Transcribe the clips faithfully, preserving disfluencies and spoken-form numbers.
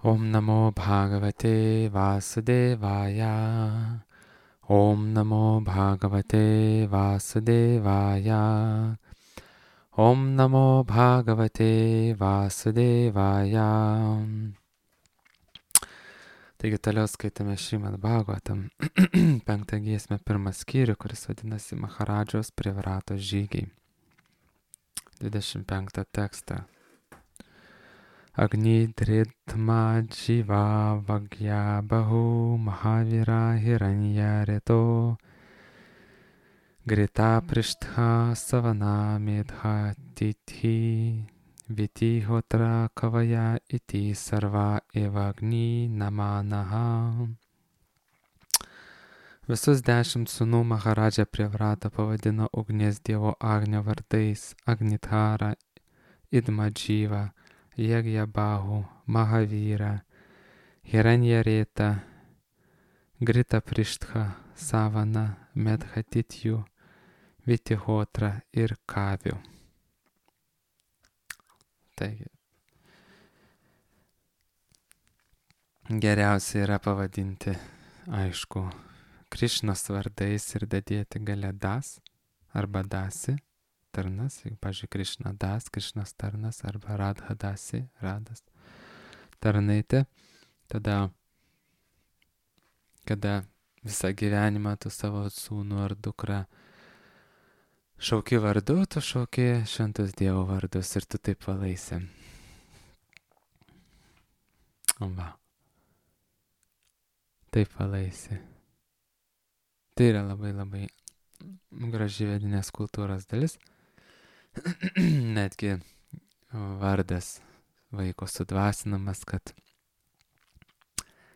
Om Namo Bhagavate Vasudevaya. Om Namo Bhagavate Vasudevaya. Om Namo Bhagavate Vasudevaya. Taigi toliau skaitame Šrimad Bhagavatam, penktą giesmę, pirmą skyrių, kuris vadinasi Maharadžos Privrato žygiai. dvidešimt penktą tekstą. Agni dritma dživa vagya bahu mahavira hiranya reto grita prishtha savana medha tithi vitihotra kavaya iti sarva evagni namanaha. Visus dešimt sūnų Maharadža Privratą pavadino ugnies dievo Agnio vardais: Agnithara, Idmadžyva, Jagjabahu, Mahavira, Hiranjareta, Grita Prishtha, Savana, Medhatitjų, Vitihotra ir Kavių. Taigi, geriausia yra pavadinti, aišku, Krišnos vardais ir dadėti gale das arba dasi, tarnas, jeigu, pavyzdžiui, Krišna das, Krišnos tarnas, arba Radha dasi, radas, tarnaitė. Tada, kada visą gyvenimą tu savo sūnų ar dukrą šauki vardu, tu šauki šventus Dievo vardus ir tu taip valaisi. Va. Taip valaisi. Tai yra labai labai graži vedinės kultūros dalis. Netgi vardas vaiko sudvasinamas, kad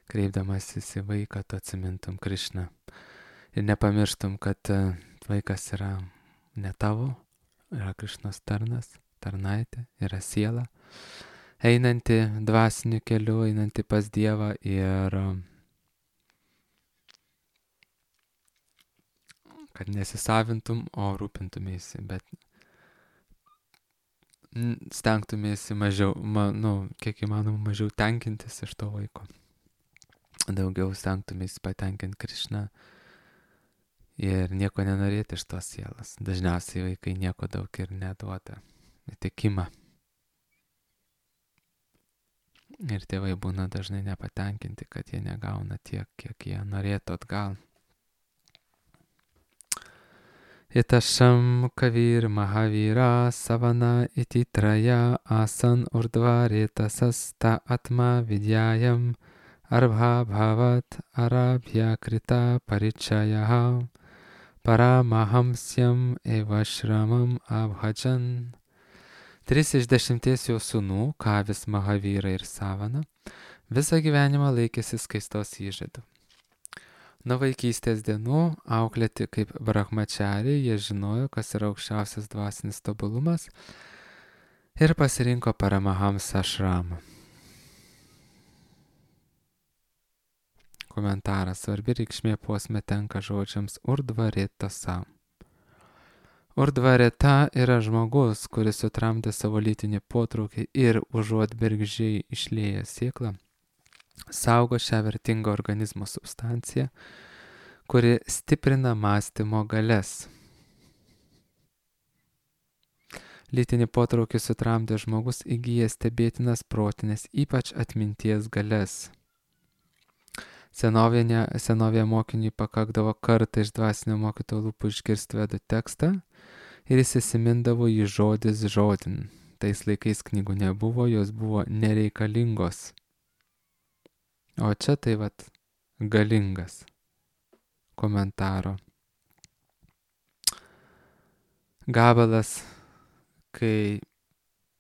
kreipdamasis į vaiką tu atsimintum Krišną. Ir nepamirštum, kad vaikas yra ne tavo, yra Krišnos tarnas, tarnaitė, yra siela, einanti dvasiniu keliu, einanti pas Dievą ir kad nesisavintum, o rūpintumėsi, bet stengtumėsi mažiau, ma, nu, kiek įmanoma mažiau tenkintis iš to vaiko. Daugiau stengtumėsi patenkinti Krišną ir nieko nenorėti iš tos sielas. Dažniausiai vaikai nieko daug ir neduoda. Įtikimą. Ir tėvai būna dažnai nepatenkinti, kad jie negauna tiek, kiek jie norėtų atgal. Itasham kavir mahavira savana iti traja asan urdvareta sasta atma vidyayam arbha bhavat arabhya krita parichayaha paramahamsyam evashramam abhajan. Tris iš dešimties jo sūnų, Kavis, Mahavira ir Savana, visą gyvenimą laikėsi skaistos įžadų. Nuo vaikystės dienų auklėti kaip brahmachariai, jie žinojo, kas yra aukščiausias dvasinis tobulumas ir pasirinko Paramahamsa ašramą. Komentaras: svarbi reikšmė posme tenka žodžiams urdvaretasa. Urdvareta yra žmogus, kuris sutramdė savo lytinį potraukį ir užuot bergždžiai išlieja sėklą, saugo šią vertingą organizmo substanciją, kuri stiprina mąstymo galias. Lytinį potraukį sutramdė žmogus įgyja stebėtinas protinės, ypač atminties galias. Senovėje, senovėje mokiniui pakakdavo kartą iš dvasinio mokytojo lūpų išgirsti vedų tekstą ir jis įsimindavo jį žodis žodin. Tais laikais knygų nebuvo, jos buvo nereikalingos. O čia tai vat galingas. Komentaro gabalas, kai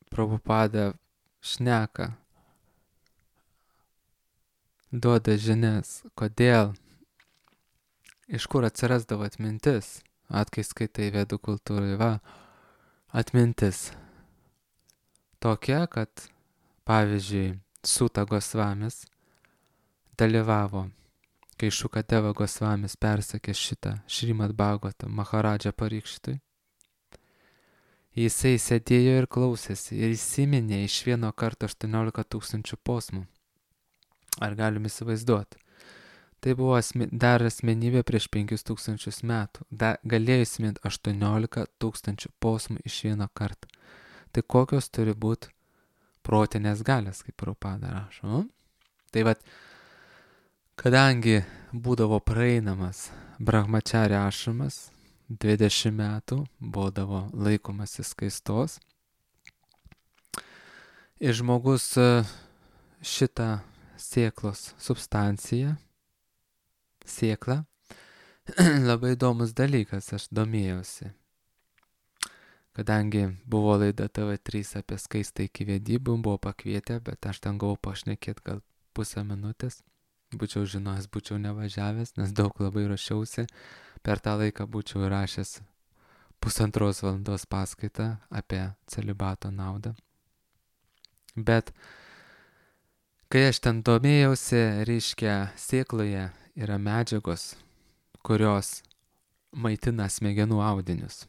Prabhupada šneka, duoda žinias, kodėl, iš kur atsirasdavo atmintis. Atkai skaitai vedų kultūrai, va, atmintis tokia, kad, pavyzdžiui, Suta Gosvamis dalyvavo, kai Šukadeva Gosvamis persakė šitą Šrimad Bhagavatam Maharadža Parikšitui. Jisai sėdėjo ir klausėsi ir įsiminė iš vieno karto aštuoniolika tūkstančių posmų. Ar galim įsivaizduoti? Tai buvo asme, dar asmenybė prieš penkis tūkstančius metų. Da, galėjo įsiminti aštuoniolika tūkstančių posmų iš vieno karto. Tai kokios turi būti protinės galės, kaip Prabhupada rašo. Tai vat, kadangi būdavo praeinamas brahmacharya ašramas, dvidešimt metų būdavo laikomasi skaistos, ir žmogus šitą sėklos substanciją, sėklą, labai įdomus dalykas, aš domėjausi. Kadangi buvo laida T V trys apie skaistą iki vedybų, buvo pakvietę, bet aš ten gavau pašnekėti gal pusę minutės. Būčiau žinojęs, būčiau nevažiavęs, nes daug labai rašiausi. Per tą laiką būčiau įrašęs pusantros valandos paskaitą apie celibato naudą. Bet kai aš ten domėjausi, reiškia, sėkloje yra medžiagos, kurios maitina smegenų audinius.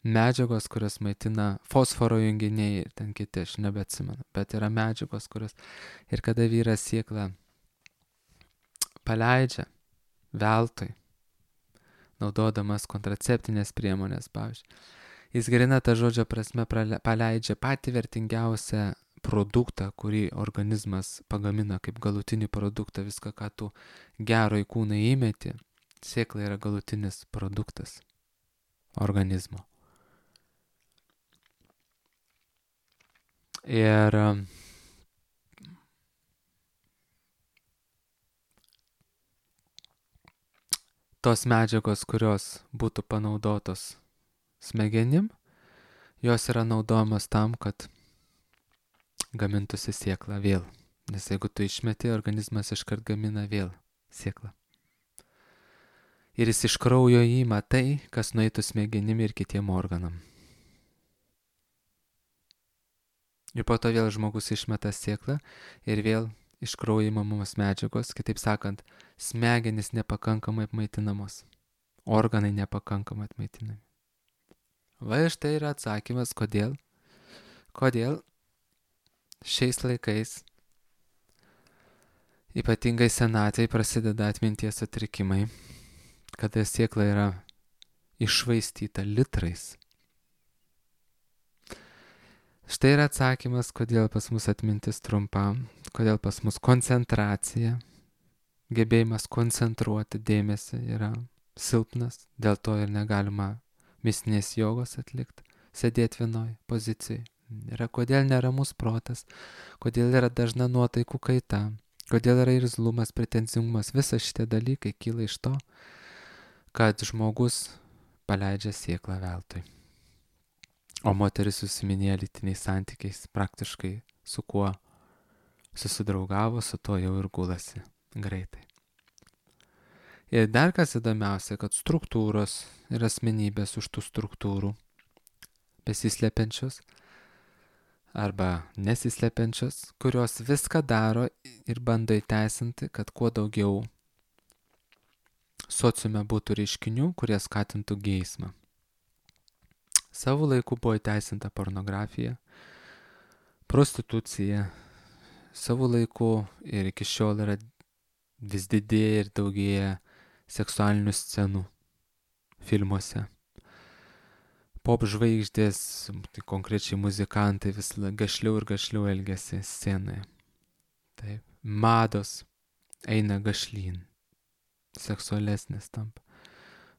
Medžiagos, kurios maitina fosforo junginiai ir ten kiti, aš nebeatsimenu, bet yra medžiagos, kurios... Ir kada vyras sėklą paleidžia veltui, naudodamas kontraceptinės priemonės, pavyzdžiui, jis grina tą žodžio prasme paleidžia patį vertingiausią produktą, kurį organizmas pagamina kaip galutinį produktą, viską, ką tu gero į kūną įmeti, sėkla yra galutinis produktas organizmo. Ir tos medžiagos, kurios būtų panaudotos smegenim, jos yra naudojamos tam, kad gamintųsi sėkla vėl. Nes jeigu tu išmeti, organizmas iškart gamina vėl sėklą. Ir jis iš kraujo įima tai, kas nueitų smegenim ir kitiem organam. Ir po to vėl žmogus išmeta sėklą ir vėl iš kraujo įmamos medžiagos, kitaip sakant, smegenys nepakankamai apmaitinamos, organai nepakankamai apmaitinami. Va iš tai yra atsakymas, kodėl, kodėl šiais laikais, ypatingai senatvėj, prasideda atminties sutrikimai, kada sėkla yra iššvaistyta litrais. Štai yra atsakymas, kodėl pas mus atmintis trumpa, kodėl pas mus koncentracija, gebėjimas koncentruoti dėmesį yra silpnas, dėl to ir negalima mistinės jogos atlikti, sėdėti vienoj pozicijai. Yra kodėl neramus protas, kodėl yra dažna nuotaikų kaita, kodėl yra irzlumas, pretenzingumas, visa šitie dalykai kyla iš to, kad žmogus paleidžia sėklą veltui. O moteris susiminėja lytiniais santykiais, praktiškai su kuo susidraugavo, su tuo jau ir gulasi greitai. Ir dar kas įdomiausia, kad struktūros ir asmenybės už tų struktūrų besislepiančios arba nesislepiančios, kurios viską daro ir bando įteisinti, kad kuo daugiau sociume būtų reiškinių, kurie skatintų geismą. Savo laiku buvo įteisinta pornografija, prostitucija, savo laiku ir iki šiol yra vis didėja ir daugėja seksualinių scenų filmuose. Pop žvaigždės, tai konkrečiai muzikantai vis gašliau ir gašliau elgiasi scenoje. Taip, mados eina gašlyn, seksualesnės tampa.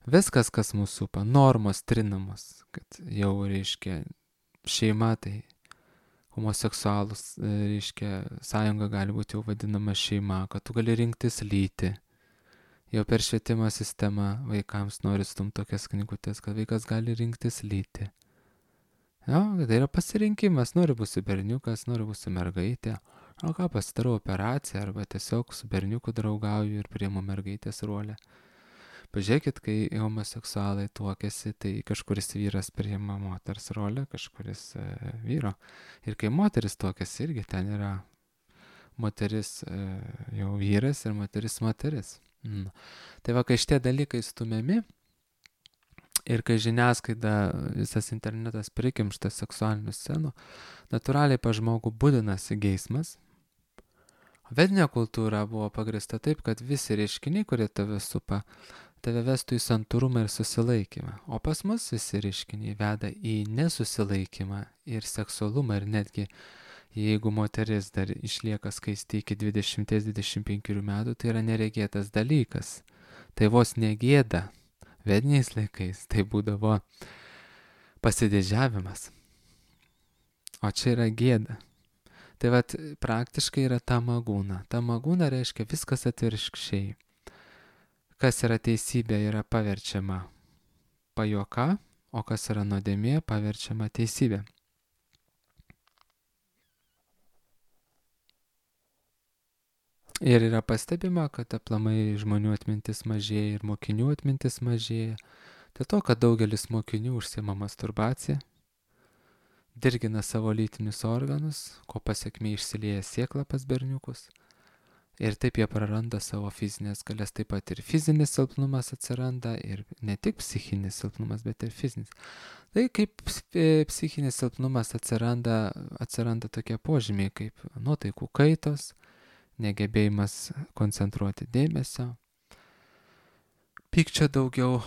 Viskas, kas mūsų supa, normos trinamos, kad jau, reiškia, šeima, tai homoseksualus, reiškia, sąjunga gali būti jau vadinama šeima, kad tu gali rinktis lytį. Jau per švietimo sistemą vaikams nori stumti tokias knygutės, kad vaikas gali rinktis lytį. Jo, tai yra pasirinkimas, nori būsi berniukas, nori būsi mergaitė. O ką, pasidarau operaciją arba tiesiog su berniuku draugauju ir priimu mergaitės rolę. Pažiūrėkit, kai homoseksualai tuokiasi, tai kažkuris vyras priima moters rolę, kažkuris e, vyro. Ir kai moteris tuokiasi, irgi ten yra moteris e, jau vyras ir moteris moteris. Mm. Tai va, kai šitie dalykai stumiami Ir kai žiniasklaida, visas internetas prikimštas seksualinių scenų, natūraliai pa žmogų būdinasi geismas. Vedinė kultūra buvo pagrįsta taip, kad visi reiškiniai, kurie tave supa, tave vestų į santūrumą ir susilaikymą. O pas mus visi reiškiniai veda į nesusilaikymą ir seksualumą. Ir netgi jeigu moteris dar išlieka skaisti iki dvidešimt dvidešimt penkių metų, tai yra neregėtas dalykas. Tai vos negėda. Vediniais laikais tai būdavo pasididžiavimas. O čia yra gėda. Tai vat praktiškai yra tamagūna. Tamagūna reiškia viskas atvirkščiai. Kas yra teisybė, yra paverčiama pajuoka, o kas yra nuodėmė, paverčiama teisybė. Ir yra pastebima, kad aplamai žmonių atmintis mažėja ir mokinių atmintis mažėja. Dėl to, kad daugelis mokinių užsiima masturbacija, dirgina savo lytinius organus, ko pasiekmė išsilieja sėkla pas berniukus. Ir taip jie praranda savo fizinės galias, taip pat ir fizinis silpnumas atsiranda, ir ne tik psichinis silpnumas, bet ir fizinis. Tai kaip psichinis silpnumas atsiranda, atsiranda tokie požymiai kaip nuotaikų kaitos, negebėjimas koncentruoti dėmesio, pykčio daugiau,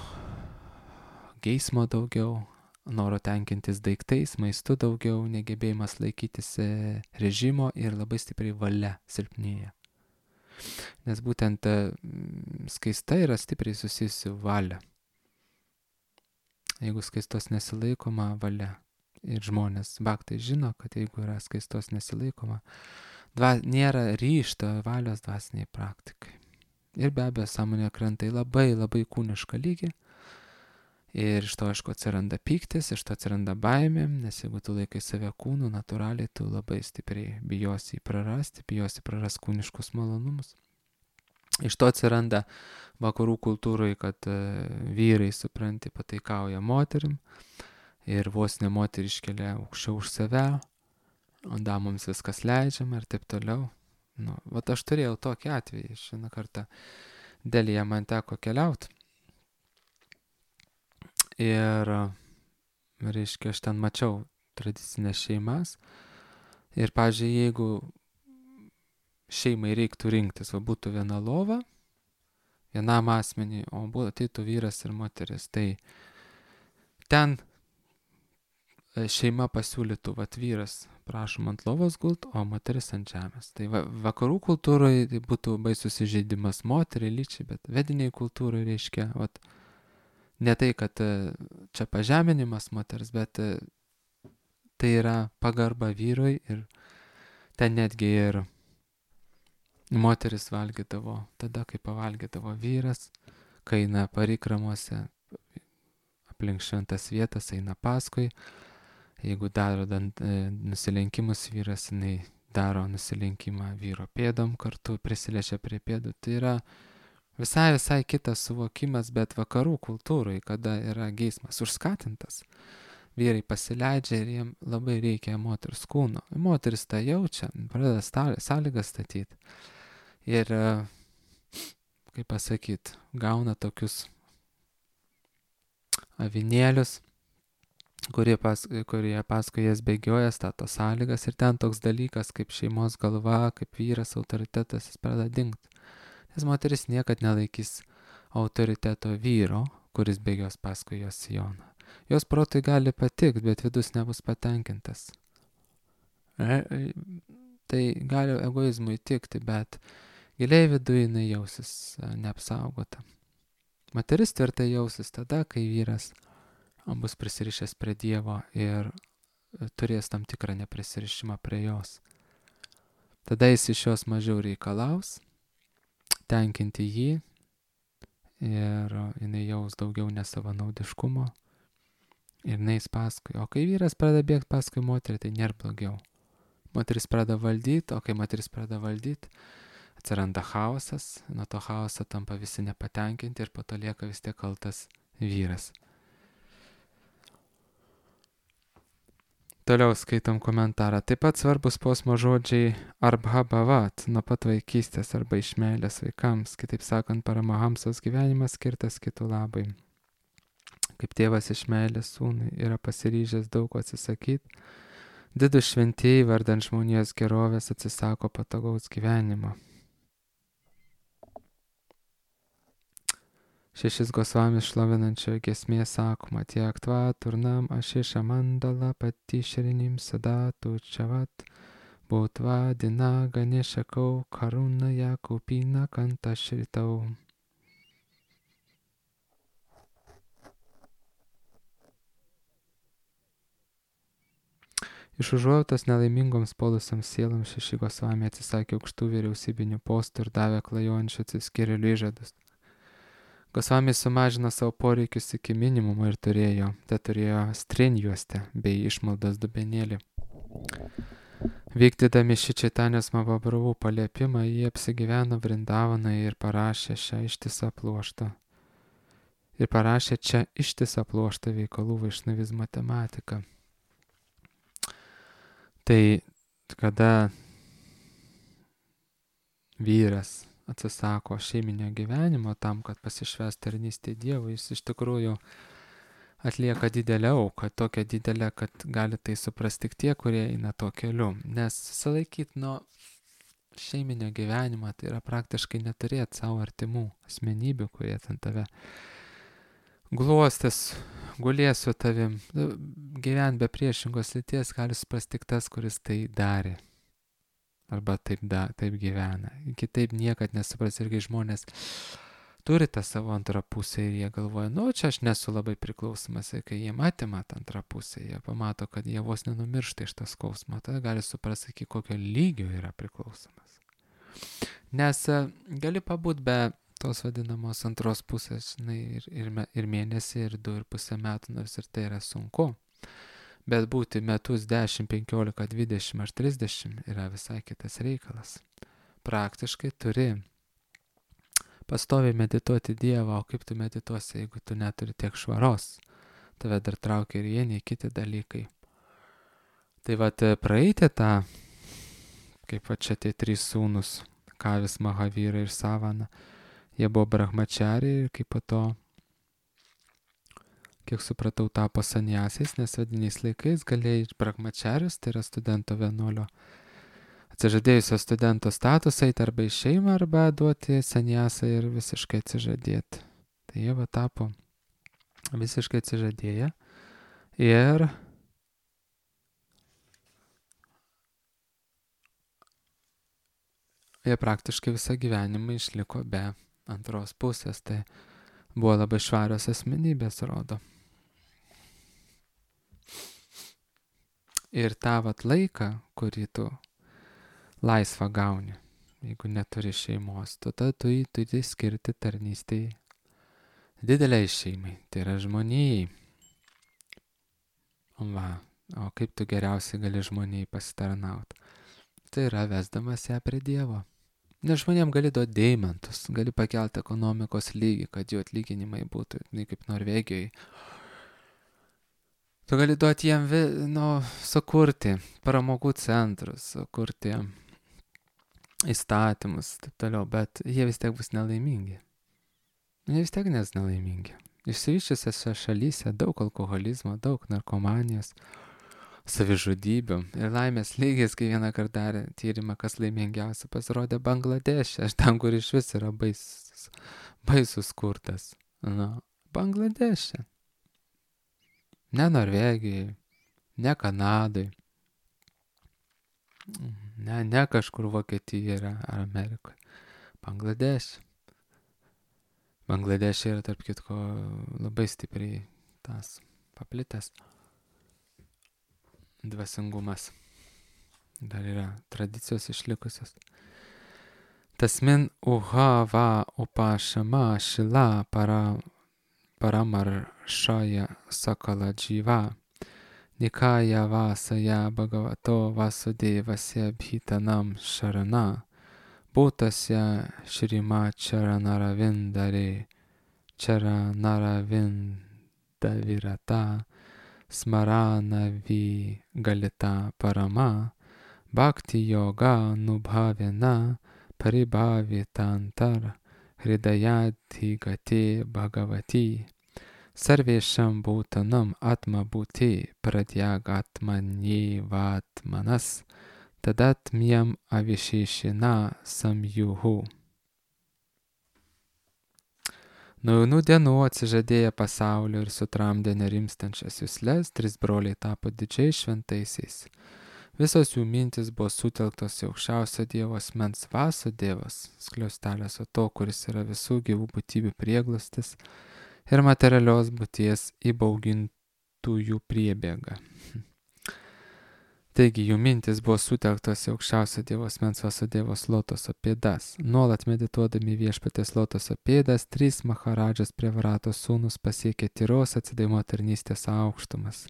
geismo daugiau, noro tenkintis daiktais, maistu daugiau, negebėjimas laikytis režimo ir labai stipriai valia silpnėja. Nes būtent skaista yra stipriai susijusi valia. Jeigu skaistos nesilaikoma, valia. Ir žmonės, baktai žino, kad jeigu yra skaistos nesilaikoma, Dva, nėra ryžto valios dvasiniai praktikai. Ir be abejo, sąmonė krenta į labai labai kūnišką lygį. Ir iš to, aišku, atsiranda pyktis, iš to atsiranda baimė, nes jeigu tu laikai save kūnu, natūraliai tu labai stipriai bijosi jį prarasti, bijosi prarasti kūniškus malonumus. Iš to atsiranda vakarų kultūroje, kad uh, vyrai, supranti, pataikauja moterim ir vos ne moterį iškelia aukščiau už save. O damoms viskas leidžiama ir taip toliau. Nu, vat aš turėjau tokį atvejį. Šiandien kartą Delyje man teko keliauti. Ir, reiškia, aš ten mačiau tradicinės šeimas. Ir, pavyzdžiui, jeigu šeimai reiktų rinktis, va būtų viena lova, vienam asmeniui, o ateitų vyras ir moteris, tai ten šeima pasiūlytų, vat vyras prašom ant lovos gult, o moteris ant žemės. Tai va, vakarų kultūroje tai būtų baisus įžeidimas moteriai, lyčiai, bet vediniai kultūroje reiškia, vat, ne tai, kad čia pažeminimas moters, bet tai yra pagarba vyrui ir ten netgi ir moteris valgydavo tada, kai pavalgydavo vyras, kai eina parikramuose aplink šventas vietas, eina paskui. Jeigu daro dant, e, nusilenkimus vyras, jinai daro nusilenkimą vyro pėdom kartu, prisiliečia prie pėdų. Tai yra visai, visai kitas suvokimas, bet vakarų kultūrai, kada yra geismas užskatintas, vyrai pasileidžia ir jiem labai reikia moters kūno. Moteris tą jaučia, pradeda sąlygas statyti. Ir, kaip pasakyti, gauna tokius avinėlius, kurie, pas, kurie paskui jas bėgioja, stato sąlygas ir ten toks dalykas kaip šeimos galva, kaip vyras, autoritetas, jis pradeda dingti. Nes moteris niekad nelaikys autoriteto vyro, kuris bėgios paskui jos sijoną. Jos protui gali patikti, bet vidus nebus patenkintas. E, tai gali egoizmui tikti, bet giliai viduje jinai jausis neapsaugota. Moteris tvirtai jausis tada, kai vyras bus prisirišęs prie Dievo ir turės tam tikrą neprisirišimą prie jos. Tada jis iš jos mažiau reikalaus, tenkinti jį ir jinai jaus daugiau nesavanaudiškumo ir neis paskui. O kai vyras pradeda bėgti paskui moterį, tai nėra blogiau. Moteris pradeda valdyti, o kai moteris pradeda valdyti, atsiranda chaosas, nuo to chaoso tampa visi nepatenkinti ir po to lieka vis tiek kaltas vyras. Toliau skaitom komentarą. Taip pat svarbus posmo žodžiai arbha bhavat, nuo pat vaikystės arba iš meilės vaikams. Kitaip sakant, paramahamsos gyvenimas skirtas kitų labai. kaip tėvas iš meilės sūnui yra pasiryžęs daug ko atsisakyti, didūs šventieji vardant žmonijos gerovės atsisako patogaus gyvenimo. Šešis Gosvamis šlovinančioje giesmėje sakoma, tiek tva turnam ašiša mandala pati šerinim sadatu čavat, būtva dina ganešakau karuna jakupina kanta šritau. Iš užuojautos nelaimingoms polusiams sieloms šeši Gosvamiai atsisakė aukštų vyriausybinių postų ir davė klajojančių atsiskyrėlių įžadus. Gosvamiai sumažino savo poreikius iki minimumo ir turėjo, te turėjo strinjuostę bei išmaldos dubenėlį. Vykdydami šį Čaitanijos Mahaprabhu paliepimą, jie apsigyveno Vrindavaną ir parašė šią ištisą pluoštą. Ir parašė čia ištisą pluoštą veikalų vaišnavizmo tematiką. Tai kada vyras atsisako šeiminio gyvenimo tam, kad pasišvęs tarnystė Dievui, jis iš tikrųjų atlieka didelę auką, tokią didelę, kad gali tai suprasti tik tie, kurie eina tuo keliu. Nes susilaikyti nuo šeiminio gyvenimo, tai yra praktiškai neturėti savo artimų asmenybių, kurie ten tave glostės, gulės su tavim. Gyventi be priešingos lyties gali suprasti tik tas, kuris tai darė. Arba taip, da, taip gyvena. Kitaip niekad nesupras, irgi žmonės turi tą savo antrą pusę ir jie galvoja, nu čia aš nesu labai priklausomas, ir kai jie atima tą antrą pusę, jie pamato, kad jie vos nenumiršta iš tas skausmo, tada gali suprasti, iki kokio lygio yra priklausomas. Nes gali pabūt be tos vadinamos antros pusės, žinai, ir, ir, ir mėnesį, ir du ir pusę metų, nors ir tai yra sunku. Bet būti metus dešimt, penkiolika, dvidešimt ar trisdešimt yra visai kitas reikalas. Praktiškai turi pastoviai medituoti Dievą, o kaip tu medituosi, jeigu tu neturi tiek švaros. Tave dar traukia ir vieni kiti dalykai. Tai vat praeiti tą, kaip va čia tie trys sūnus, Kavis, Mahavira ir Savana, jie buvo brahmachariai ir kaip po to, kiek supratau, tapo sanjasiais, nes vadiniais laikais galėjai brahmacharius, tai yra studento vienuolio, atsižadėjusio studento statusą eiti arba į šeimą, arba duoti sanjasą ir visiškai atsižadėti. Tai jie va tapo visiškai atsižadėję ir jie praktiškai visą gyvenimą išliko be antros pusės, tai buvo labai švarios asmenybės, rodo. Ir tą vat laiką, kurį tu laisvą gauni, jeigu neturi šeimos, tada tu jį turi skirti tarnystėj dideliai šeimai, tai yra žmonijai. Va, o kaip tu geriausiai gali žmonijai pasitarnauti? Tai yra vesdamas ją prie Dievo. Nes žmonėm gali duoti deimantus, gali pakelti ekonomikos lygį, kad jų atlyginimai būtų, ne kaip Norvegijoje. Tu gali duoti jiem, nu, sukurti pramogų centrus, sukurti įstatymus, taip toliau, bet jie vis tiek bus nelaimingi. Jie vis tiek nes nelaimingi. Išsivyščiusiose šalyse daug alkoholizmo, daug narkomanijos, savižudybių ir laimės lygis, kai vieną kartą darė tyrimą, kas laimingiausia, pasirodė Bangladešė, aš ten, kur iš vis yra baisus, baisus skurdas. Nu, Bangladešė. Ne Norvegijai, ne Kanadai, ne, ne kažkur Vokietijoje ar Amerikoje. Bangladešė. Bangladešė yra, tarp kitko, labai stipriai tas paplitęs dvasingumas. Dar yra tradicijos išlikusios. Tasmin uha va upašama šila para, paramaršaja sakala dživa. Nikaya vasaja bhagavato vasudevasya bhitanam šarana. Būtasya šrima charanaravindarė charanaravindavirata smaranavi galita parama bhakti yoga nubhavena paribhavitantar hridayadhi gate bhagavati Sarvesham bhutanam atma bhuti pradyagatmanyevatmanas tadatmyam avisheshina samjuhu. Nuo jaunų dienų atsižadėję pasaulio ir sutramdę nerimstančias jusles, trys broliai tapo didžiais šventaisiais. Visos jų mintis buvo sutelktos į aukščiausio Dievo asmens Vasudevas, skliaustelės o to, kuris yra visų gyvų būtybių prieglastis ir materialios būties įbaugintųjų priebėga. Taigi jų mintis buvo sutelktos į aukščiausio Dievo asmens Vasudevos lotoso pėdas. Nuolat medituodami viešpatės lotoso pėdas, trys Maharadžas Prevaratos sūnus pasiekė tyros atsidavimo tarnystės aukštumas.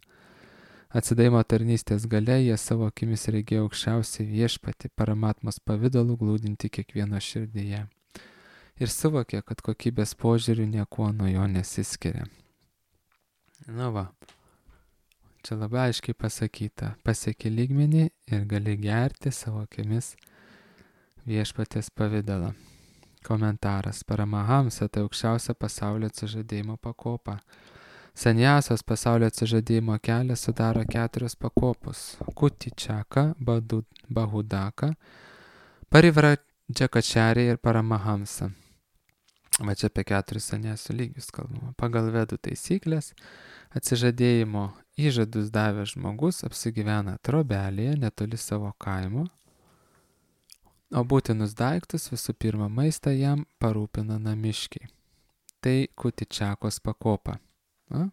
Atsidavimo tarnystės gale jie savo akimis regėjo aukščiausią viešpatį Paramatmos pavidalų glūdinti kiekvieno širdyje. Ir suvokė, kad kokybės požiūrių niekuo nuo jo nesiskiria. Nu va. Čia labai aiškiai pasakyta, pasieki lygmenį ir gali gerti savo akimis viešpatės pavidalą. Komentaras. Paramahamsa tai aukščiausia pasaulio atsižadėjimo pakopa. Sanjasas pasaulio atsižadėjimo kelias sudaro keturios pakopos. Kutičaka, Bahudaka, Parivradžakačarė ir Paramahamsa. Va čia apie keturis sanjasų lygius kalbama. Pagal vedų taisyklės atsižadėjimo įžadus davęs žmogus apsigyvena trobelėje netoli savo kaimo, o būtinus daiktus, visų pirma maistą jam parūpina namiškiai. Tai Kutičakos pakopa. A?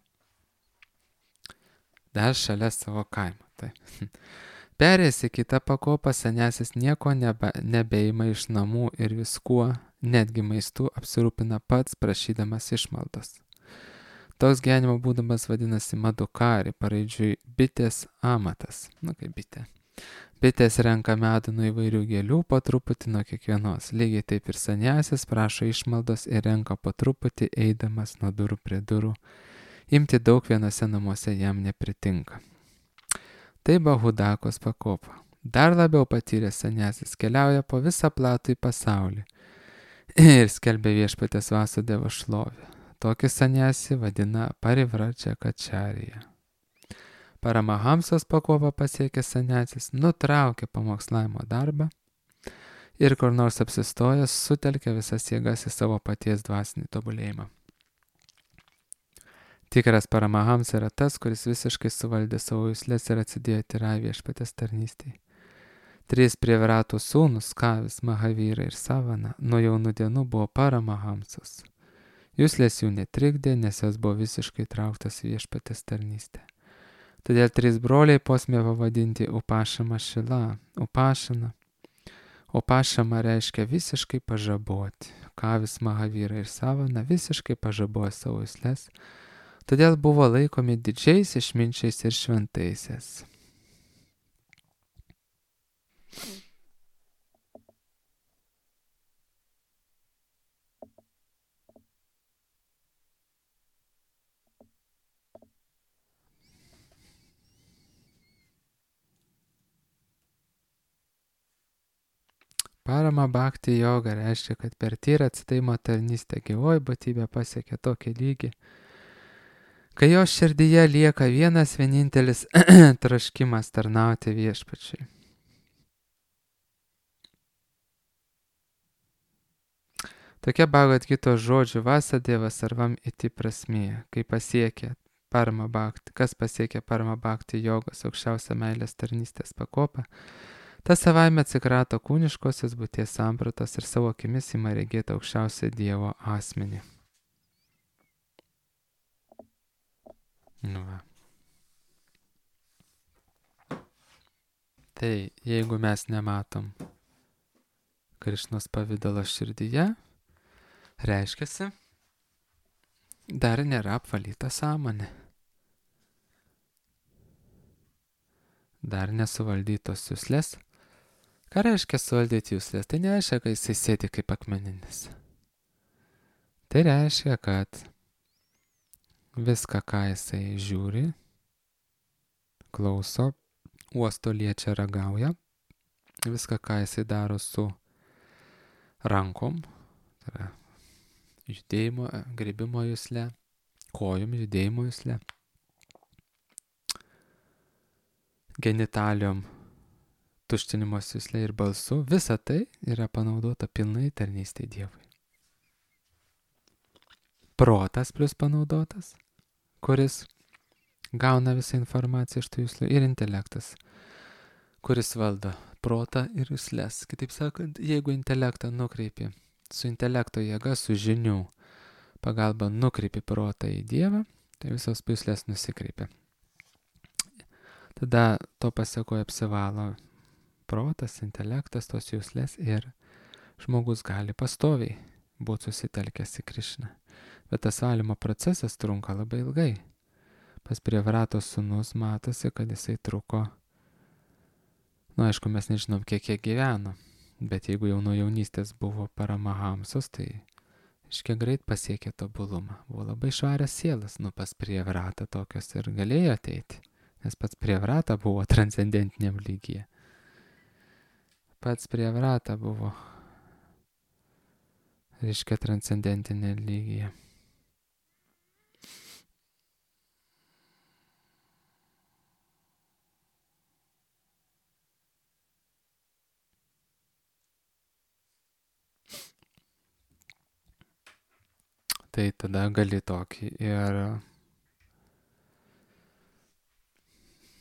Dar šalia savo kaimo. Tai. Perėjęs į kitą pakopą, senesis nieko nebe, nebeima iš namų ir viskuo, netgi maistu, apsirūpina pats prašydamas išmaldos. Toks gyvenimo būdamas vadinasi madukari, paraidžiui bitės amatas. Nu kaip bitė. Bitės renka medų nuo įvairių gėlių, po truputį nuo kiekvienos. Lygiai taip ir sanjasis prašo išmaldos ir renka po truputį, eidamas nuo durų prie durų. Imti daug vienose namuose jam nepritinka. Tai Bahudakos pakopa. Dar labiau patyręs sanjasis keliauja po visą platų į pasaulį ir skelbia viešpatės Vasudevo šlovę. Tokį sanjasį vadina Parivradžakačarija. Paramahamsos pakopą pasiekęs sanjasis nutraukia pamokslavimo darbą ir kur nors apsistojęs sutelkia visas jėgas į savo paties dvasinį tobulėjimą. Tikras Paramahamsa yra tas, kuris visiškai suvaldė savo jusles ir atsidėjo tyrai viešpatės tarnystei. Trys Prevaratų sūnus, Kavis, Mahavira ir Savana, nuo jaunų dienų buvo Paramahamsos. Juslės jų netrikdė, nes jos buvo visiškai trauktas viešpatės tarnystę. Todėl trys broliai posmė pavadinti Upašama Šila. Upašana. Upašama reiškia visiškai pažaboti. Kavis, Mahavira ir Savana visiškai pažabojo savo juslės, todėl buvo laikomi didžiais išminčiais ir šventaisiais. Parama bhakti joga reiškia, kad per tyrą atsidavimo tarnystę gyvoji būtybė pasiekia tokį lygį, kai jo širdyje lieka vienas vienintelis troškimas tarnauti viešpačiui. Tokia Bhagavad Gitos žodžių Vasudeva sarvam iti prasmė, kai pasiekė parama bhakti, kas pasiekė parama bhakti jogos aukščiausią meilės tarnystės pakopą, tas savaime atsikrato kūniškosios būties sampratos ir savo akimis ima regėti aukščiausią Dievo asmenį. Nu va. Tai jeigu mes nematom Krišnos pavidalo širdyje, reiškiasi, dar nėra apvalyta sąmonė. Dar nesuvaldytos juslės. Ką reiškia suvaldyti juslės? Tai nereiškia, kad jisai sėdi kaip akmeninis. Tai reiškia, kad viską, ką jisai žiūri, klauso, uosto, liečia, ragauja, viską, ką jisai daro su rankom, tai yra judėjimo, gribimo jusle, kojom, judėjimo jusle, genitalijom, tuštinimos jusle ir balsu. Visa tai yra panaudota pilnai tarnystei Dievui. Protas plus panaudotas, kuris gauna visą informaciją iš tų juslių, ir intelektas, kuris valdo protą ir jusles. Kitaip sakant, jeigu intelektą nukreipi su intelekto jėga, su žinių pagalba nukreipi protą į Dievą, tai visos juslės nusikreipia. Tada to pasekoje apsivalo protas, intelektas, tos juslės ir žmogus gali pastoviai būti susitelkęs į Krišną. Bet tas valymo procesas trunka labai ilgai. Pas Prievratos sūnus matosi, kad jisai truko, nu aišku, mes nežinom, kiek jie gyveno, bet jeigu jau nuo jaunystės buvo paramahamsos, tai iškiek greit pasiekė tobulumą. Buvo labai švarias sielas, nu pas Prievratą tokios ir galėjo ateiti, nes pats Prievrata buvo transcendentiniam lygyje. Pats Prievrata buvo, reiškia, transcendentinė lygyje. Tai tada gali tokį ir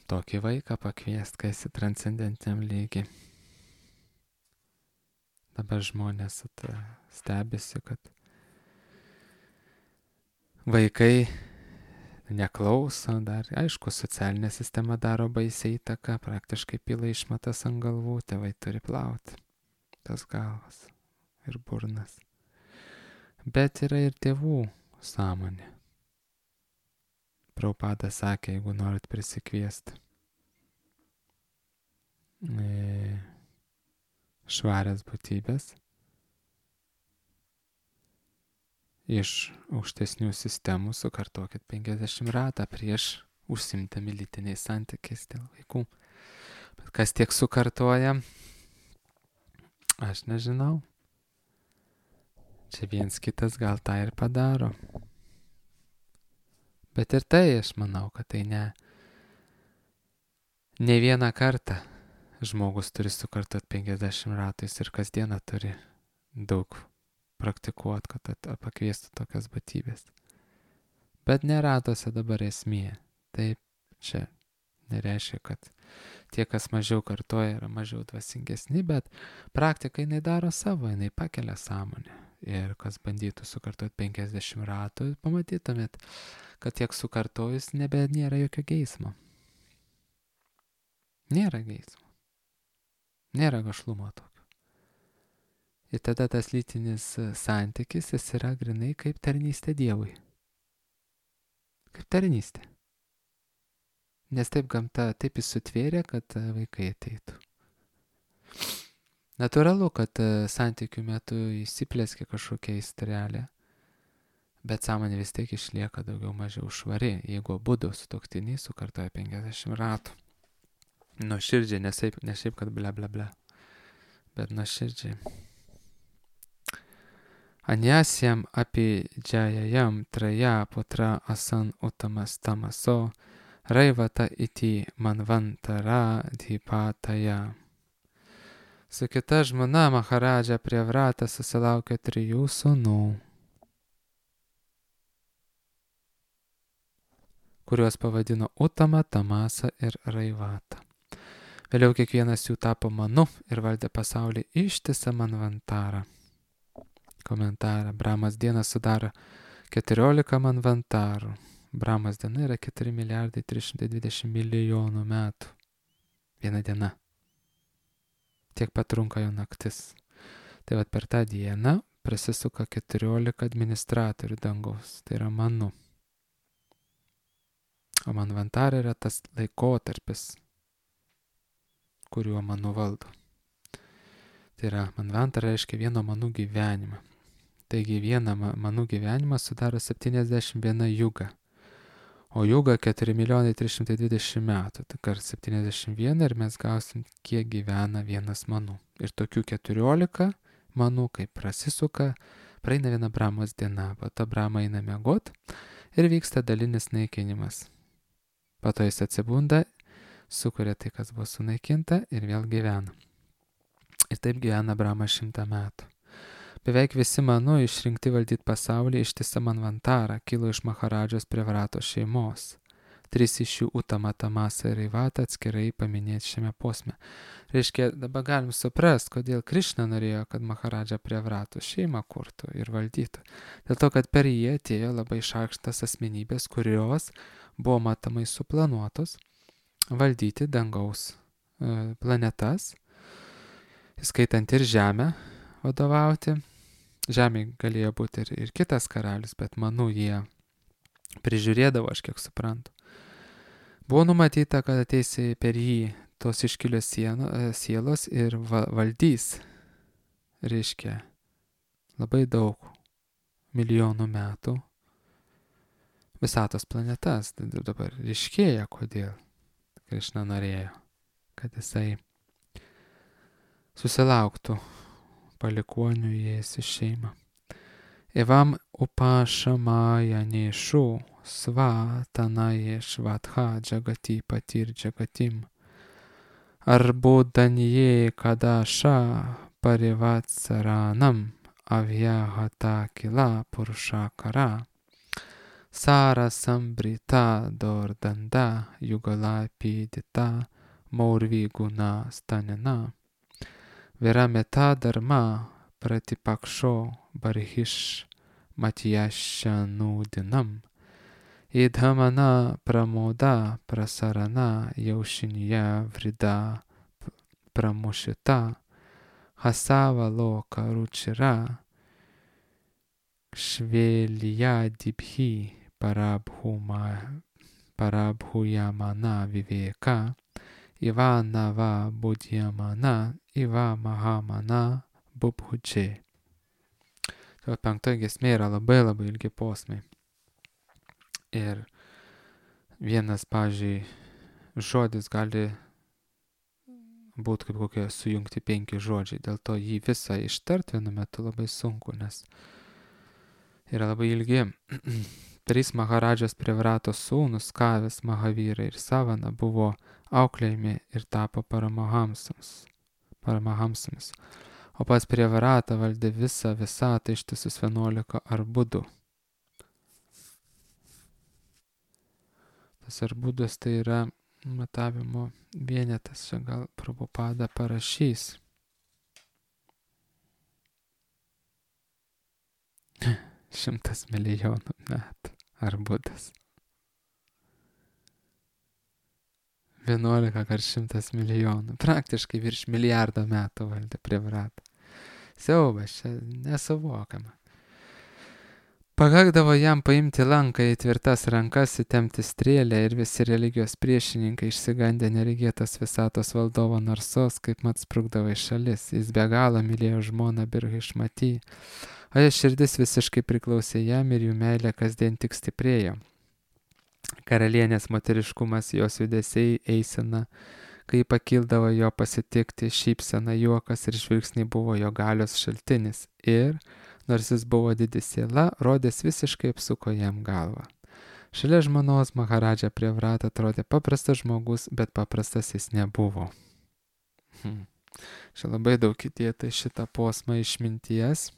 tokį vaiką pakviest, kai esi transcendentiniam lygiai. Dabar žmonės stebisi, kad vaikai neklauso, dar, aišku, socialinė sistema daro baisiai įtaką, praktiškai pila išmatas ant galvų, tėvai turi plauti tas galvas ir burnas. Bet yra ir tėvų sąmonė. Prabhupada sakė, jeigu norit prisikviesti e, švarias būtybės iš aukštesnių sistemų, sukartokit penkiasdešimt ratą prieš užsimtami lytiniais santykiais dėl vaikų. Bet kas tiek sukartoja, aš nežinau. Čia viens kitas gal tą ir padaro. Bet ir tai, aš manau, kad tai ne, ne vieną kartą žmogus turi sukartot penkiasdešimt ratais ir kasdieną turi daug praktikuoti, kad pakviestų tokias būtybės. Bet neratuose dabar esmė. Taip, čia nereiškia, kad tie, kas mažiau kartoja, yra mažiau dvasingesni, bet praktika jinai daro savo, jinai pakelia sąmonę. Ir kas bandytų sukartoti penkiasdešimt ratų, pamatytumėt, kad tiek sukartojus nebe nėra jokio geismo. Nėra geismo. Nėra gašlumo tokio. Ir tada tas lytinis santykis, jis yra grinai kaip tarnystė Dievui. Kaip tarnystė. Nes taip gamta, taip jis sutvėrė, kad vaikai ateitų. Natūralu, kad santykių metu įsiplėskė kažkokia įstrelė, bet sąmonė vis tiek išlieka daugiau mažiau švari, jeigu abudu sutuoktiniai sukartoja penkiasdešimt ratų. Nuoširdžiai, ne šiaip, ne šiaip, kad ble ble ble, bet nuoširdžiai. Anyasyam api džajajam traja putra asan utamas tamaso raivata iti manvantara dhipataya. Su kita žmona Maharadža Prievrata susilaukė trijų sūnų, kuriuos pavadino Utama, Tamasa ir Raivata. Vėliau kiekvienas jų tapo manu ir valdė pasaulį ištisą manvantarą. Komentarą. Brahmas diena sudaro keturiolika manvantarų. Brahmas diena yra keturi milijardai trys šimtai dvidešimt milijonų metų. Viena diena. Tiek patrunka jo naktis. Tai vat per tą dieną prasisuka keturiolika administratorių dangaus. Tai yra manu. O manvantara yra tas laikotarpis, kuriuo manu valdo. Tai yra manvantara reiškia vieno manų gyvenimą. Taigi vieną manų gyvenimą sudaro septyniasdešimt viena juga. O juga keturi milijonai trys šimtai dvidešimt metų. Tai kart septyniasdešimt vieną ir mes gausim, kiek gyvena vienas manų. Ir tokių keturiolika manų, kaip prasisuka, praeina viena Brahmos diena. Po to Brahma eina miegot ir vyksta dalinis naikinimas. Po to jis atsibunda, sukuria tai, kas buvo sunaikinta ir vėl gyvena. Ir taip gyvena Abramas šimtą metų. Beveik visi Manu išrinkti valdyti pasaulį ištisą Manvantarą kilo iš Maharadžos Prevrato šeimos. Tris iš jų Utama, Tamasa ir Ivata atskirai paminėti šiame posme. Reiškia, dabar galim suprasti, kodėl Krišna norėjo, kad Maharadža Prevrato šeimą kurtų ir valdytų. Dėl to, kad per jį atėjo labai šaukštas asmenybės, kurios buvo matomai suplanuotos valdyti dangaus e, planetas, įskaitant ir Žemę vadovauti. Žemė galėjo būti ir, ir kitas karalius, bet Manu jie prižiūrėdavo, aš kiek suprantu. Buvo numatyta, kad ateis per jį tos iškilios sieno, sielos ir va, valdys, reiškia, labai daug milijonų metų visatos planetas. Dabar ryškėja, kodėl Krišna norėjo, kad jisai susilauktų palikuonių įėjęs į šeimą. Evam upashamaya neshu svatanaye shvatha jagati patir jagatim arbudanye kadasha parivatsaranam avyahata kila purushakara sara sambrita dordanda yugala pidita maurviguna stanina Virameta dharma pratipaksho barhish matiyashanudinam idhamana pramoda prasarana yaushinya vrida pramushita hasava loka ruchira shveliyadibhi parabhuma parabhuyamana viveka Ivanava budhyamana, Iva mahamana bubhuče. Tai penktoji giesmė yra labai labai ilgi posmai. Ir vienas, pavyzdžiui, žodis gali būti kaip kokie sujungti penki žodžiai. Dėl to jį visą ištart vienu metu labai sunku, nes yra labai ilgi. Trys Maharadžos Prevrato sūnus, Kavis, Mahavira ir Savana, buvo auklėjami ir tapo paramahamsams. paramahamsams. O pas Prevratą valdė visą visatą ištisus vienuolika arbudų. Tas arbudas tai yra matavimo vienetas, čia gal Prabhupada parašys. Šimtas milijonų metų arbudas. vienuolika kart šimtas milijonų. Praktiškai virš milijardo metų valdė Prevratą. Siaubas, čia nesuvokiama. Pakakdavo jam paimti lanką į tvirtas rankas, įtempti strėlę ir visi religijos priešininkai išsigandę neregėtos visatos valdovo narsos, kaip mat sprukdavo į šalis. Jis be galo mylėjo žmoną Birhišmatį, o jos širdis visiškai priklausė jam ir jų meilė kasdien tik stiprėjo. Karalienės moteriškumas, jos judesiai, eisena, kai pakildavo jo pasitikti, šypsena, juokas ir žvilgsniai buvo jo galios šaltinis ir, nors jis buvo didis siela, rodės visiškai apsuko jam galvą. Šalia žmonos Maharadža Prevratą atrodė paprastas žmogus, bet paprastas jis nebuvo. Hmm. Čia labai daug įdėta šitą posmą išminties.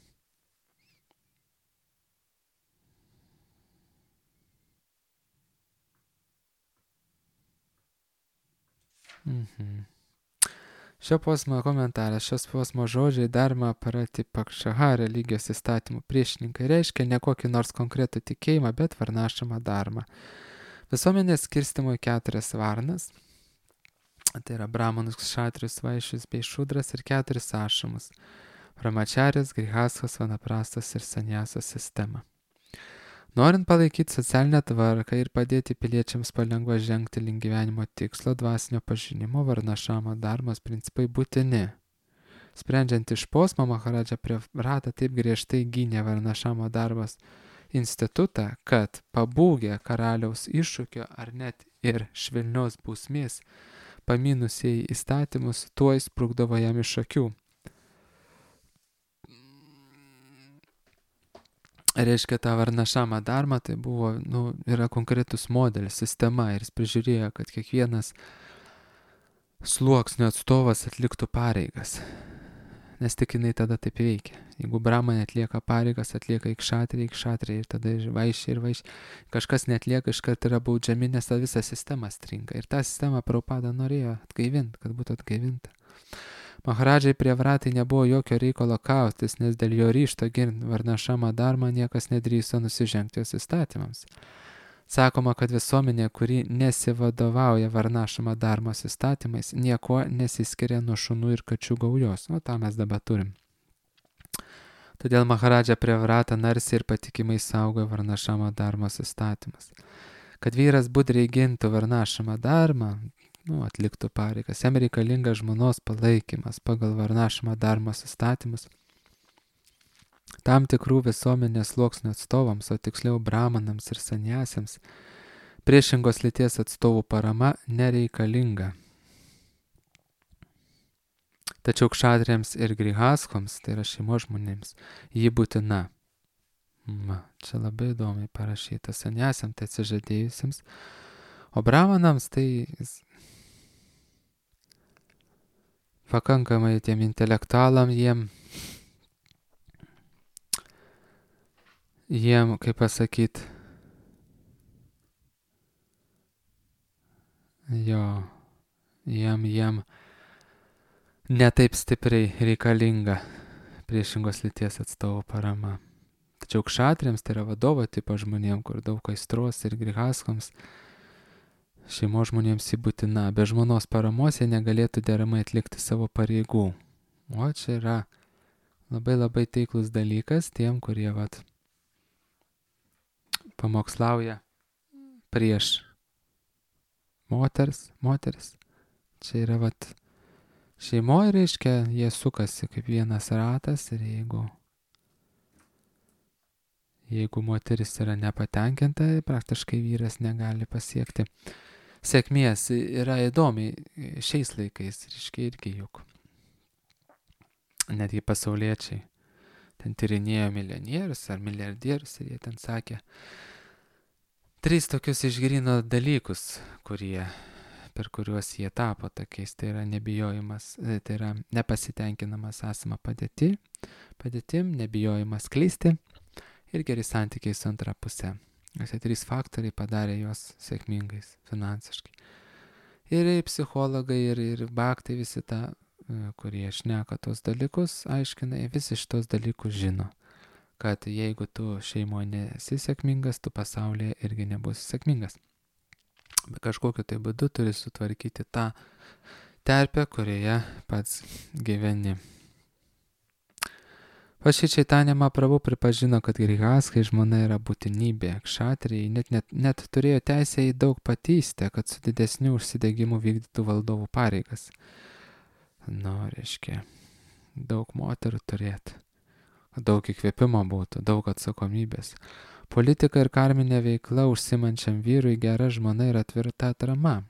Mhm. Šio posmo komentaras, šios posmo žodžiai dharma pratipakšaha religijos įstatymų priešininkai reiškia ne kokį nors konkretų tikėjimą, bet varnašamą dharmą. Visuomenės skirstimo į keturias varnas, tai yra brahmanus, kšatrius, vaišius bei šudras ir keturis ašamus, brahmačarijos, grihastos, vanaprastos ir sanjasos sistemą. Norint palaikyti socialinę tvarką ir padėti piliečiams palengva žengti link gyvenimo tikslo, dvasinio pažinimo, varnašamo dharmos principai būtini. Sprendžiant iš posmo, Maharadža Prevrata taip griežtai gynė varnašamo darbos institutą, kad pabūgę karaliaus iššūkio ar net ir švelnios bausmės, paminusiai įstatymus, tuoj sprukdavo jam iš akių. reiškia, ta varnašama dharma, tai buvo, nu, yra konkretus modelis, sistema ir jis prižiūrėjo, kad kiekvienas sluoksnio atstovas atliktų pareigas. Nes tik jinai tada taip veikia. Jeigu brahmanė atlieka pareigas, atlieka ikšatriai, ikšatriai ir tada ir vaišiai, ir vaišiai. Kažkas netlieka, iškart yra baudžiami, nes ta visa sistema stringa. Ir tą sistemą Prabhupada norėjo atgaivinti, kad būtų atgaivinta. Maharadžai Prevratai nebuvo jokio reikalo kautis, nes dėl jo ryšto ginti varnašamą dharmą niekas nedrįso nusižengti jos įstatymams. Sakoma, kad visuomenė, kuri nesivadovauja varnašama dharmos įstatymais, nieko nesiskiria nuo šunų ir kačių gaujos. O tą mes dabar turim. Todėl Maharadža Prevrata narsiai ir patikimai saugo varnašama dharmos įstatymas. Kad vyras budriai gintų varnašamą dharmą, nu, atliktų pareigas, jam reikalinga žmonos palaikymas pagal varnašamą dharmos įstatymus. Tam tikrų visuomenės sluoksnių atstovams, o tiksliau brahmanams ir saniasiams, priešingos lyties atstovų parama nereikalinga. Tačiau kšatriams ir grihaskoms, tai yra šeimos žmonėms, ji būtina. Ma, čia labai įdomiai parašyta. Saniasiams tai atsižadėjusiems, o brahmanams tai pakankamai tiem intelektualam jiem Jiem, kaip pasakyt, jo, jiem, jiem netaip stipriai reikalinga priešingos lyties atstovų parama. Tačiau kšatriams, tai yra vadovo tipo žmonėm, kur daug aistros ir grihaskoms, šeimos žmonėms jį būtina. Be žmonos paramos jie negalėtų deramai atlikti savo pareigų. O čia yra labai labai taiklus dalykas tiem, kurie vat pamokslauja prieš moters, moteris. Čia yra vat šeimoje, reiškia, jie sukasi kaip vienas ratas ir jeigu, jeigu moteris yra nepatenkinta, praktiškai vyras negali pasiekti sėkmės. Yra įdomiai šiais laikais, reiškia, irgi juk netgi pasauliečiai ten tyrinėjo milijonierius ar milijardierius ir jie ten sakė tris tokius išgrino dalykus, kurie, per kuriuos jie tapo tokiais. Tai yra nebijojimas, tai yra nepasitenkinamas esama padėti, padėtim, nebijojimas klysti ir geri santykiai su antra pusė. Tie trys faktoriai padarė juos sėkmingais finansiškai. Ir psichologai, ir, ir baktai visi tą, kurie šneka tos dalykus, aiškina, visi šitos dalykus žino, kad jeigu tu šeimoje nesi sėkmingas, tu pasaulyje irgi nebūsi sėkmingas. Bet kažkokiu tai būdu turi sutvarkyti tą terpę, kurioje pats gyveni. Paši Čaitanija Mahaprabhu pripažino, kad grihaskai žmona yra būtinybė. Kšatriai net, net, net turėjo teisę į daug patystę, kad su didesniu užsidegimu vykdytų valdovų pareigas. Nu, reiškia, daug moterų turėti, daug įkvėpimo būtų, daug atsakomybės. Politika ir karminė veikla užsimančiam vyrui gera žmona yra tvirta atrama.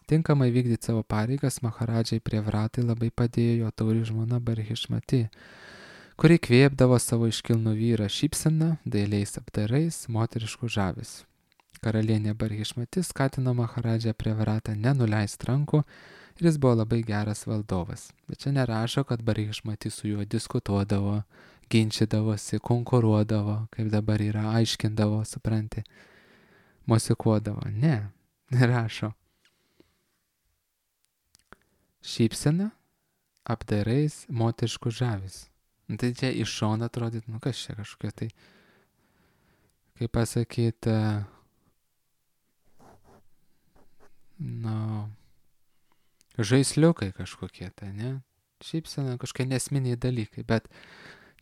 Tinkamai vykdyti savo pareigas Maharadžai Prevratai labai padėjo jo tauri žmona Barhišmati, kuri kvėpdavo savo iškilnų vyrą šypseną, dailiais apdarais, moteriškų žavesių. Karalienė Barhišmati skatino Maharadžą Prevratą nenuleisti rankų ir jis buvo labai geras valdovas. Bet čia nerašo, kad Barhišmati su juo diskutuodavo, ginčydavosi, konkuruodavo, kaip dabar yra, aiškindavo, supranti, mosikuodavo. Ne, nerašo. Šypsena, apdarais, moteriškų žavesių. Tai čia iš šono atrodyt, nu kas čia kažkokia tai, kaip pasakyti, nu, žaisliukai kažkokie tai, ne? Šypsena, kažkokie nesminiai dalykai, bet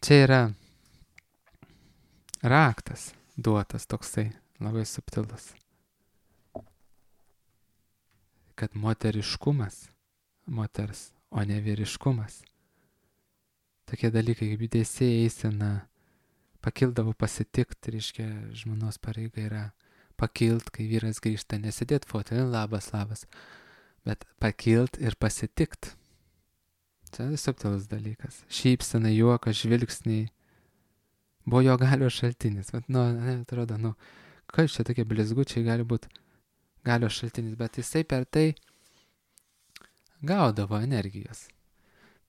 čia yra raktas duotas toksai, labai subtilus. Kad moteriškumas, moters, o ne vyriškumas. Tokie dalykai kaip judesiai, eisena, pakildavo pasitikti, reiškia, žmonos pareiga yra pakilt, kai vyras grįžta, nesidėt fotelį, labas, labas, bet pakilt ir pasitikt. Čia subtilus dalykas. Šypsena, juokas, žvilgsniai. buvo jo galios šaltinis. Bet, nu, ne, atrodo, nu, kas čia tokie blizgučiai gali būti galios šaltinis, bet jisai per tai gaudavo energijos.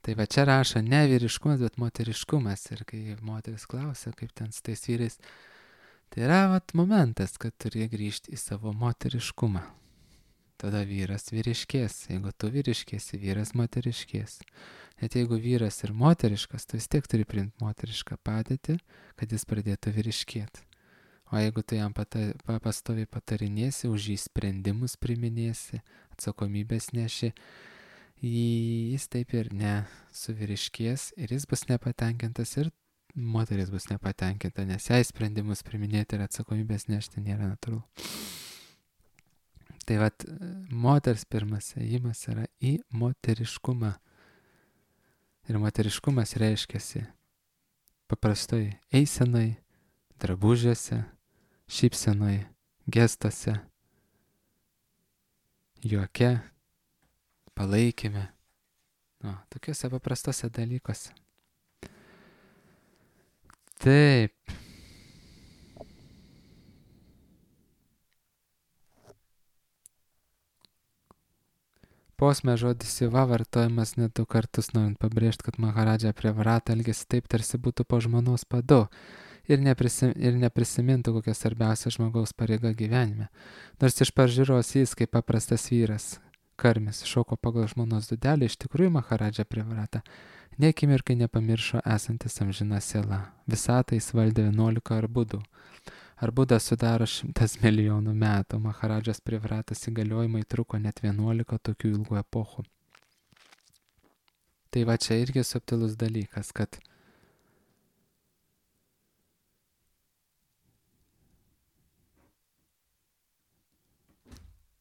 Tai va čia rašo ne vyriškumas, bet moteriškumas. Ir kai moteris klausia, kaip ten su tais vyrais, tai yra vat momentas, kad turi grįžti į savo moteriškumą. Tada vyras vyriškės. Jeigu tu vyriškėsi, vyras moteriškės. Net jeigu vyras ir moteriškas, tu vis tiek turi priimti moterišką padėtį, kad jis pradėtų vyriškėti. O jeigu tu jam pata, pastoviai patarinėsi, už jį sprendimus priminėsi, atsakomybės neši, jis taip ir nesuvyriškės ir jis bus nepatenkintas ir moteris bus nepatenkinta, nes jai sprendimus priminėti ir atsakomybės nešti nėra natūralu. Tai vat, moters pirmas ėjimas yra į moteriškumą. Ir moteriškumas reiškiasi paprastai eisenai, drabužiuose, šypsenai, gestuose, juoke, palaikyme. Nu, tokiuose paprastose dalykuose. Taip. Posme žodis siva vartojamas net du kartus, norint pabrėžti, kad Maharadža prie Vrata elgėsi taip, tarsi būtų po žmonos padu ir, neprisim, ir neprisimintų kokia svarbiausia žmogaus pareiga gyvenime. Nors iš pažiūros jis, kaip paprastas vyras, karmis, šoko pagal žmonos dudelį, iš tikrųjų Maharadža prie Vrata nė akimirkai nepamiršo esantis amžina siela. Visatą jis valdė vienuolika arbudų. Arbuda sudaro šimtas milijonų metų, Maharadžos prie Vratas įgaliojimai truko net vienuolika tokių ilgų epochų. Tai va čia irgi subtilus dalykas, kad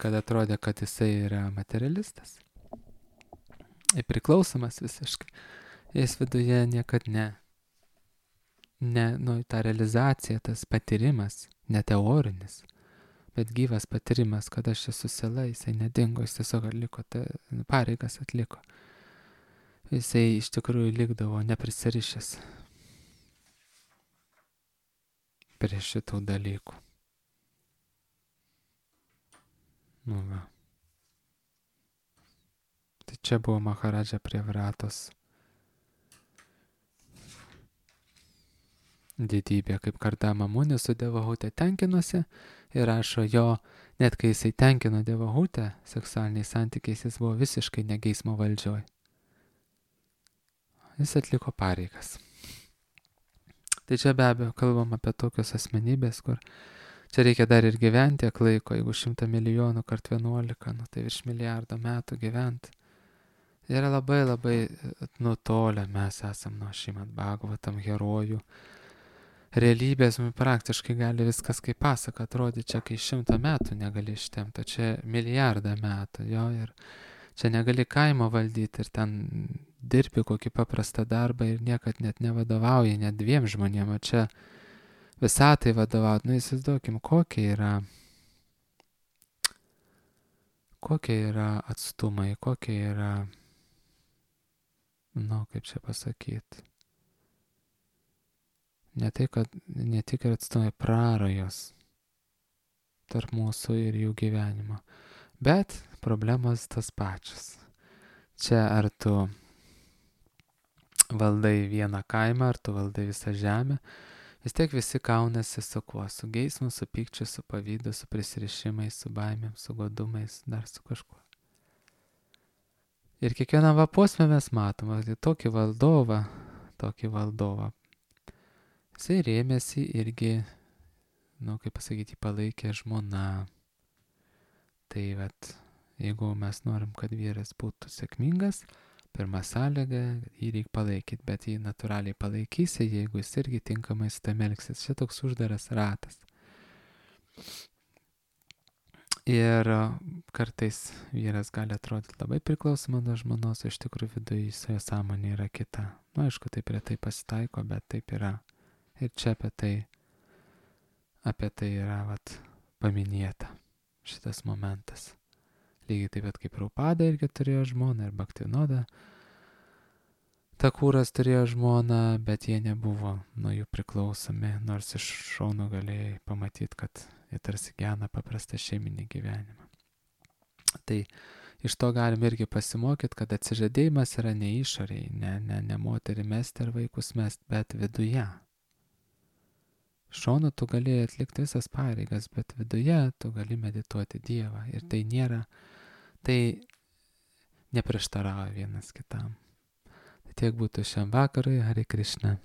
kad atrodė, kad jisai yra materialistas ir priklausomas visiškai. Jis viduje niekad ne. Ne, nu, ta realizacija, tas patyrimas, ne teorinis, bet gyvas patyrimas, kad aš esu siela, jisai nedingo, jis tiesiog atliko, ta, pareigas atliko. Jisai iš tikrųjų likdavo neprisirišęs prie šitų dalykų. Nu va. Tai čia buvo Maharadža prie Vratos didybė, kaip Kardama Muni su Devahute tenkinosi ir rašo jo, net kai jisai tenkino Devahutę seksualiniais santykiais, jis buvo visiškai ne geismo valdžioj. Jis atliko pareigas. Tai čia be abejo kalbam apie tokios asmenybės, kur čia reikia dar ir gyventi tiek laiko, jeigu šimtą milijonų kart vienuolika, nu tai virš milijardo metų gyventi. Yra labai labai nutolę mes esam nuo Šrimad Bhagavatam herojų. Realybės praktiškai gali viskas kaip pasaka atrodyti, čia kai šimtą metų negali ištemti, čia milijardą metų, jo, ir čia negali kaimo valdyti ir ten dirbi kokį paprastą darbą ir niekad net nevadovauji, net dviem žmonėm, o čia visatai vadovauti, nu įsivaizduokim, kokie yra, kokie yra atstumai, kokie yra, nu, kaip čia pasakyti. Ne tai, kad ne tik ir atstumai prarajos tarp mūsų ir jų gyvenimo, bet problemos tas pačias. Čia ar tu valdai vieną kaimą, ar tu valdai visą žemę, vis tiek visi kaunasi su kuo, su geismu, su pykčiu, su pavydu, su prisirišimais, su baimėm, su godumais, dar su kažkuo. Ir kiekvieną vaposmę mes matom, tokį valdovą, tokį valdovą. Jisai rėmėsi irgi, nu, kaip pasakyti, palaikė žmona. Tai vat, jeigu mes norim, kad vyras būtų sėkmingas, pirma sąlyga, jį reikia palaikyti, bet jį natūraliai palaikysi, jeigu jis irgi tinkamai su tam elgsis. Čia toks uždaras ratas. Ir kartais vyras gali atrodyti labai priklausomą nuo žmonos, o iš tikrųjų viduje jo sąmonė yra kita. Nu, aišku, taip retai pasitaiko, bet taip yra. Ir čia apie tai, apie tai yra vat, paminėta šitas momentas. Lygiai taip pat kaip Prabhupada irgi turėjo žmoną ir Bhaktivinoda Takūras turėjo žmoną, bet jie nebuvo nuo jų priklausomi, nors iš šono galėjai pamatyti, kad jie tarsi gyvena paprastą šeiminį gyvenimą. Tai iš to galim irgi pasimokyti, kad atsižadėjimas yra ne išoriai, ne, ne, ne moterį mesti ar vaikus mesti, bet viduje. Šonu tu gali atlikti visas pareigas, bet viduje tu gali medituoti Dievą. Ir tai nėra, tai neprieštarauja vienas kitam. Tai tiek būtų šiam vakarui, Hare Krishna.